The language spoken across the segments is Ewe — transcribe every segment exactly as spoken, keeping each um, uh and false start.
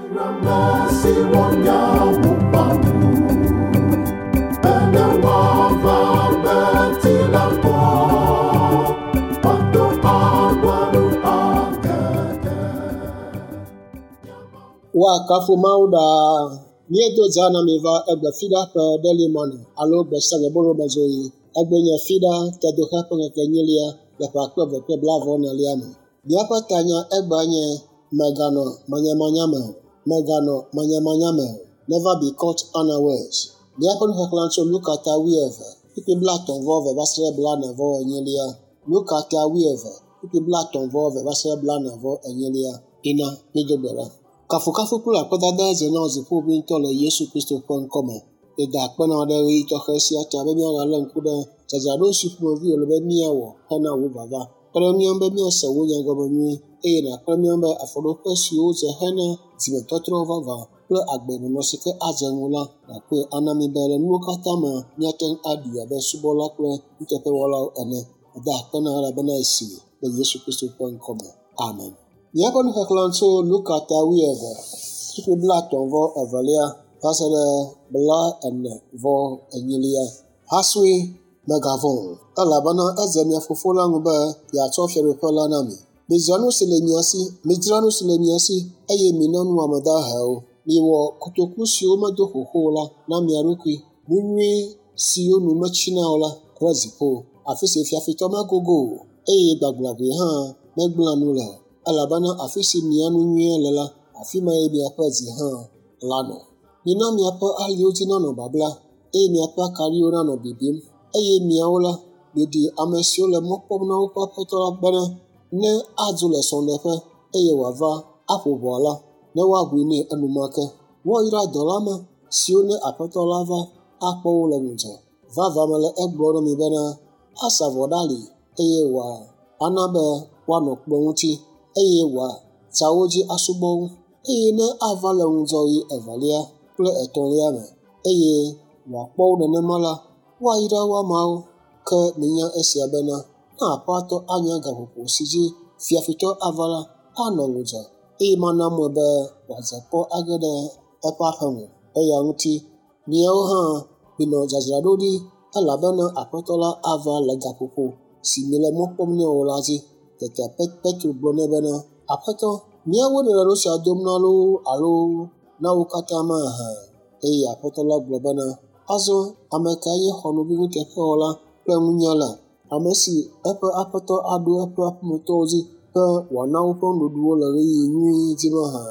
Woakafu Mawu ɖaa. Míedo dza na mi va egbe fiɖa ƒe Daily Manna alo gbe sia gbe bolomezoɣi. Egbe nye fiɖa tedoxe ƒe ŋkeke enyilia le ƒe akpe eve kple blaeve enelia me. Míaƒe tanya egbea nye mèganɔ manyamanya me o. Mèganɔ manyamanya me o. Never be caught unawares. Míaƒe nuxexlẽ tso Luka ta wuieve, kpukpui blaetɔ̃ vɔ eve va se ɖe blaene vɔ enyilia. Luka ta wuieve, kpukpui blaetɔ̃ vɔ eve va se ɖe blaene vɔ enyilia. Ina mído gbe ɖa. Kafukafu kple akpedada dze na dziƒoʋĩtɔ le Yesu Kristo ƒe ŋkɔme. Yeda akpe na wò ɖe ɣeyiɣi tɔxɛ sia ta be míagalé ŋku ɖe dzadzraɖo si ƒomevi wòle be míawɔ hena wò vava. Kpe ɖe mía ŋu be míase wò nya gɔme nyuie eye nàkpe ɖe mía ŋu be afɔɖoƒe siwo dze hena dzimetɔtrɔ vavã kple agbenɔnɔ si ke adze ŋu la nàkpɔe ana mí be le nuwo katã me míate ŋu aɖui abe subɔla kple nuteƒewɔlawo ene. Meda akpe na wò elabena esi le Yesu Kristo ƒe ŋkɔme. Amen. Míaƒe nuxexlẽ tso Luka ta wuieve, kpukpui blaetɔ̃ vɔ evelia va se ɖe blaene vɔ enyilia. Hasue mègavɔ̃ o, elabena edze mia fofo la ŋu be yeatsɔ fiaɖuƒe la na mi. Midzra nu si le mia si, midzra nu si le mia si, eye mina nu ame dahewo. Miwɔ kotoku siwo medo xoxo o la na mia ɖokui, nu nyui siwo nu metsina o la ɖe dziƒo, afi si fiafitɔ megogo o, eye gbagblaʋui hã megblẽa nu le o. Elabena afi si mia nu nyuie le la, afi mae miaƒe dzi hã lanɔ. Mina miaƒe aliwo dzi nanɔ babla, eye miaƒe akaɖiwo nanɔ bibim. Eye miawo la, miɖi ame siwo le mɔ kpɔm na woƒe aƒetɔ la bena ne adzo le srɔ̃ɖeƒe eye wòava aƒo ʋɔa la, ne woaʋui nɛ enumake. Woayra dɔla ma siwo ne aƒetɔ la va akpɔ wo le ŋudzɔ. Vavã mele egblɔm na mi bena asa vɔ ɖe ali eye wòana be woanɔ kplɔ̃ ŋuti eye wòatsa wo dzi asubɔ wo. Eye ne ava le ŋudzɔɣi evelia kple etɔ̃lia me eye wòakpɔ wo nenema la, woayra wo ameawo. Ke minya esia bena ne aƒetɔ anya gaƒoƒo si dzi fiafitɔ ava la, anɔ ŋudzɔ eye mana mɔe be wòadze kpɔ age ɖe eƒe aƒeme. Eya ŋuti miawo hã minɔ dzadzraɖo ɖi elabena aƒetɔ la ava le gaƒoƒo si miele mɔ kpɔm nɛ o la dzi. Tete Petro gblɔ nɛ bena, Aƒetɔ, míawoe nèle nu sia dom na loo alo na wo katã mahã? Eye Aƒetɔ la gblɔ bena, azɔ ame kae nye xɔnuvi nuteƒewɔla kple nunyala, ame si eƒe aƒetɔ aɖo eƒe aƒemetɔwo dzi be wòana woƒe nuɖuɖuwo le ɣeyiɣi nyui dzi mahã?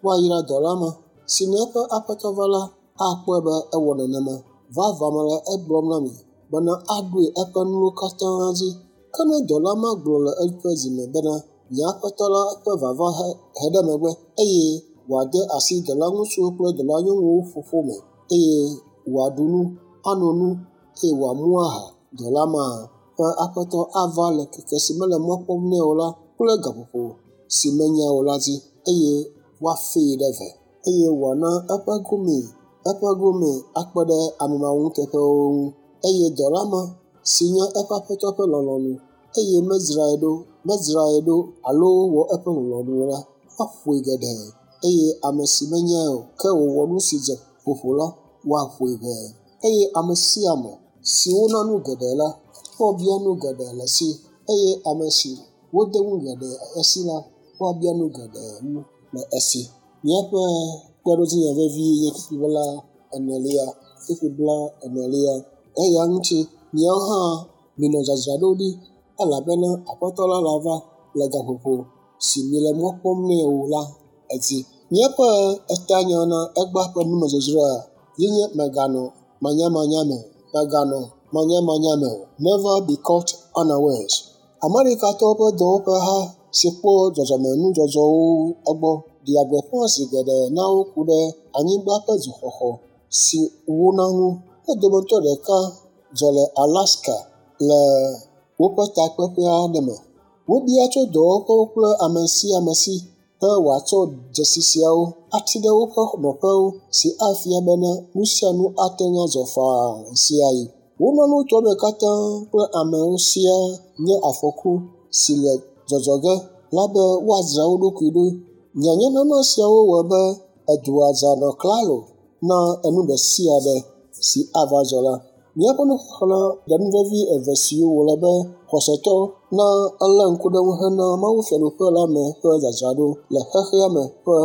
Woayra dɔla ma si ne eƒe aƒetɔ va la, akpɔe be ewɔ nenema. Vavã mele egblɔm na mi bena aɖoe eƒe nuwo katã dzi. Ke ne dɔla ma gblɔ le eƒe dzime bena, nye aƒetɔ la ƒe vava he ɖe megbe eye wòade asi dɔlaŋutsuwo kple dɔlanyɔnuwo ƒoƒo me eye wòaɖu nu, ano nu eye wòamu aha. Dɔla ma ƒe aƒetɔ ava le ŋkeke si mele mɔ kpɔm nɛ o la kple gaƒoƒo si menya o la dzi eye woafee ɖe ve eye wòana eƒe gome eƒe gome akpe ɖe ame mawɔnuteƒewo ŋu. Eye dɔla ma si nye eƒe aƒetɔ ƒe lɔlɔ̃nu eye medzrae ɖo medzrae ɖo alo wɔ eƒe lɔlɔ̃nu o la, woaƒoe geɖe eye ame si menyae o ke wòwɔ nu si dze ƒoƒo la, woaƒoe ʋɛ. Eye ame sia ame si wona nu geɖe la, woabia nu geɖe le esi eye ame si wode nu geɖe esi la, woabia nu geɖe wu le esi. Míaƒe kpeɖodzinya vevi nye kpukpui bla enelia, kpukpui bla enelia. Eya ŋuti miawo hã minɔ dzadzraɖo ɖi elabena Aƒetɔ la lava le gaƒoƒo si miele mɔ kpɔm nɛ o la edzi. Míaƒe etanya na egbea ƒe numedzodzroa ye nye mèganɔ manyamanya me o. Mèganɔ manyamanya me o. Never be caught unawares. Amerikatɔwo ƒe dɔwɔƒeha si kpɔ dzɔdzɔmenudzɔdzɔwo egbɔ ɖea gbeƒã zi geɖe na wo ku ɖe anyigba ƒe dzoxɔxɔ si wona ŋu. Wo dometɔ ɖeka dzɔ le Alaska le woƒe takpeƒe aɖe me. Wobia tso dɔwɔƒewo kple ame sia ame si be wòatsɔ dzesi siawo ati ɖe woƒe nɔƒewo si afia bena nu sia nu ate ŋu adzɔ faa ɣesiaɣi. Wona nutoa me katã kple amewo siaa nye afɔku si le dzɔdzɔ ge la be woadzra wo ɖokui ɖo. Nyanyanana siawo wɔe be Edua dza nɔ klalo na enu ɖe sia ɖe si ava dzɔ la. Míaƒe nuxexlẽ ɖe nu vevi eve siwo wòle be xɔsetɔ na elé ŋku ɖe ŋu hena Mawu Fiaɖuƒe la me ƒe dzadzraɖo le xexea me ƒe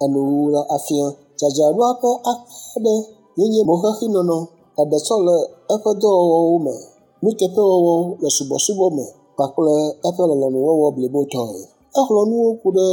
enuwuwu la afia. Dzadzraɖoa ƒe akpa aɖe ye nye moxexinɔnɔ, eɖetsɔ le eƒe dɔwɔwɔwo me, nuteƒewɔwɔ le subɔsubɔ me kpakple eƒe lɔlɔ̃nuwɔwɔ blibotɔe. Exlɔ̃ nuwo ku ɖe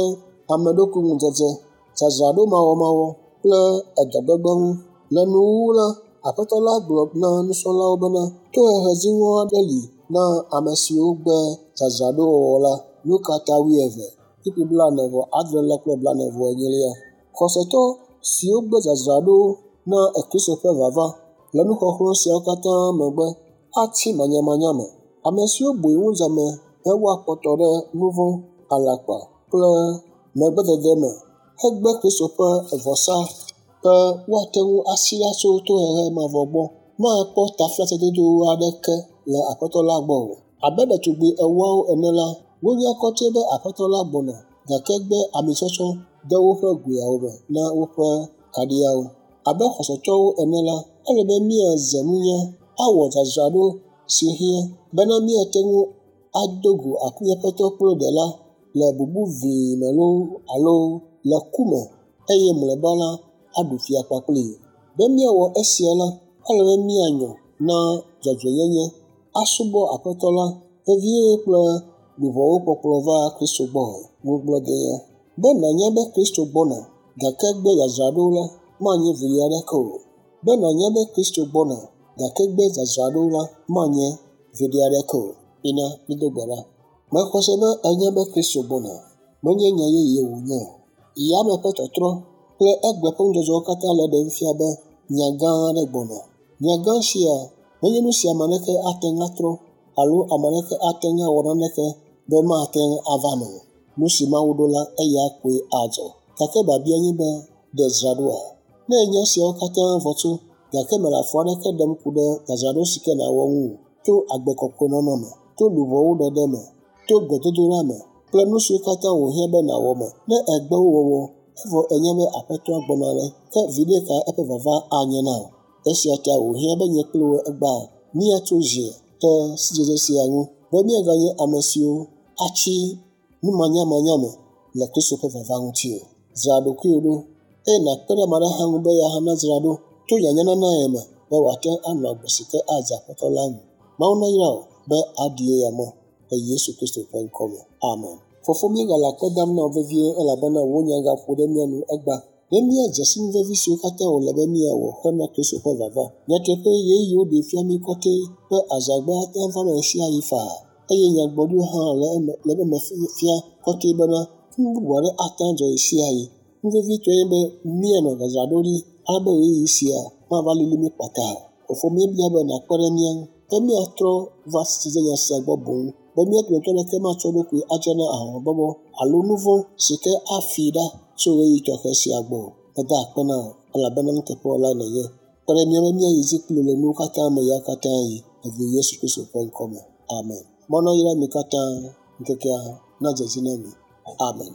ame ɖokui ŋudzedze, dzadzraɖo mawɔmawɔ kple edɔgbegbe ŋu. Le nuwuwu la, Aƒetɔ la gblɔ na nusrɔ̃lawo bena tohehe dziŋɔ aɖe li na ame siwo gbe dzadzraɖowɔwɔ la. Luka ta wuieve, kpukpui blaene vɔ adrelia kple blaene vɔ enyilia. Xɔsetɔ siwo gbe dzadzraɖo na Kristo ƒe vava le nuxɔxlɔ̃ siawo katã megbe atsi manyamanya me. Ame siwo bui ŋudzame be woakpɔtɔ ɖe nuvɔ̃, alakpa kple megbedede me hegbe Kristo ƒe vɔsa be woate ŋu asi ɖa tso tohehe mavɔ gbɔ makpɔ taflatsedodo aɖeke le Aƒetɔ la gbɔ o. Abe ɖetugbi ewoawo ene la, wonya kɔtɛ be Aƒetɔ la gbɔna gake gbe amitsɔtsɔ de woƒe goeawo me na woƒe kaɖiawo. Abe xɔsetɔwo ene la, ele be míaze nunya awɔ dzadzraɖo si hiã bena míate ŋu ado go míaƒe kple Ɖela le bubu vii me loo alo le ku me eye mlɔeba la aɖu fia kpakplii. Be míawɔ esia la, ele be míanyɔ na dzɔdzɔenyenye, asubɔ Aƒetɔ la vevie kple luʋɔwo kpɔkplɔ va Kristo gbɔ. Ŋugbledenya. Be nànya be Kristo gbɔna gake gbe dzadzraɖo la manye viɖe aɖeke o. Be nànya be Kristo gbɔna gake gbe dzadzraɖo la manye viɖe aɖeke o. Mina mído gbe ɖa. Mexɔ se be ènya be Kristo gbɔna. Menye nya yeye wònye o. Yame ƒe tɔtrɔ kple egbe ƒe nudzɔdzɔwo katã le eɖem fia be nya gã aɖe gbɔna. Nya gã sia menye nu si ame aɖeke ate ŋu atrɔ alo ame aɖeke ate ŋu awɔ naneke be mate ŋu ava eme o. Nu si Mawu ɖo la, eya koe adzɔ. Gake biabia nye be, ɖe dzra ɖoa? Ne ènya esiawo katã vɔ tso gake mele afɔ aɖeke ɖem ku ɖe dzadzraɖo si ke nàwɔ ŋu o, to agbe kɔkɔe nɔnɔ me, to luʋɔwo ɖeɖe me, to gbedodoɖa me kple nu siwo katã wòhiã be nàwɔ me. Ne ègbe wo wɔwɔ evɔ ènya be Aƒetɔa gbɔna ɖe, ke viɖe ka eƒe vava anye na wò? Esia ta wòhiã be nye kple wò egbea míatso zi ɖe sidzedze sia ŋu be míaganye ame siwo atsi numanyamanya me le Kristo ƒe vava ŋuti o. Dzra ɖokuiwò ɖo eye nàkpe ɖe ame aɖe hã ŋu be ya hã nadzra ɖo to nyanyananae me be wòate ŋu anɔ agbe si ke adze Aƒetɔ la ŋu. Mawu nayra wò be aɖi eya mɔ le Yesu Kristo ƒe ŋkɔ me. Amen. Fofo, míegale akpe dam na wò vevie elabena wò nya gaƒo ɖe mía nu egbea be míadze si nu vevi siwo katã wòle be míawɔ hena Kristo ƒe vava. Nyateƒe ɣeyiɣiwo ɖee fia mí kɔtɛ be azãgbe ate ŋu ava eme ɣesiaɣi faa eye nyagblɔɖiwo hã le eme le eme fia kɔtɛ bena nu bubu aɖe ate ŋu adzɔ ɣesiaɣi. Nu vevitɔe nye be míanɔ dzadzraɖo ɖi ale be ɣeyiɣi sia mava lili mí kpata o. Fofo, míebia be nàkpe ɖe mía ŋu be míatrɔ va sidzedze sia gbɔ boŋ be mía dometɔ ɖeke matsɔ eɖokui adze na ahɔhɔ̃bɔbɔ alo nu vɔ̃ si ke afii ɖa tso ɣeyiɣi tɔxɛ sia gbɔ o. Meda akpe na wò elabena nuteƒewɔlae nènye. Kpe ɖe mía ŋu be míayi dzi kpli wò le nuwo katã me ya katã ɣi le vi Yesu Kristo ƒe ŋkɔ me. Amen. Mawu nayra mi katã ŋkekea nadze edzi na mi. Amen.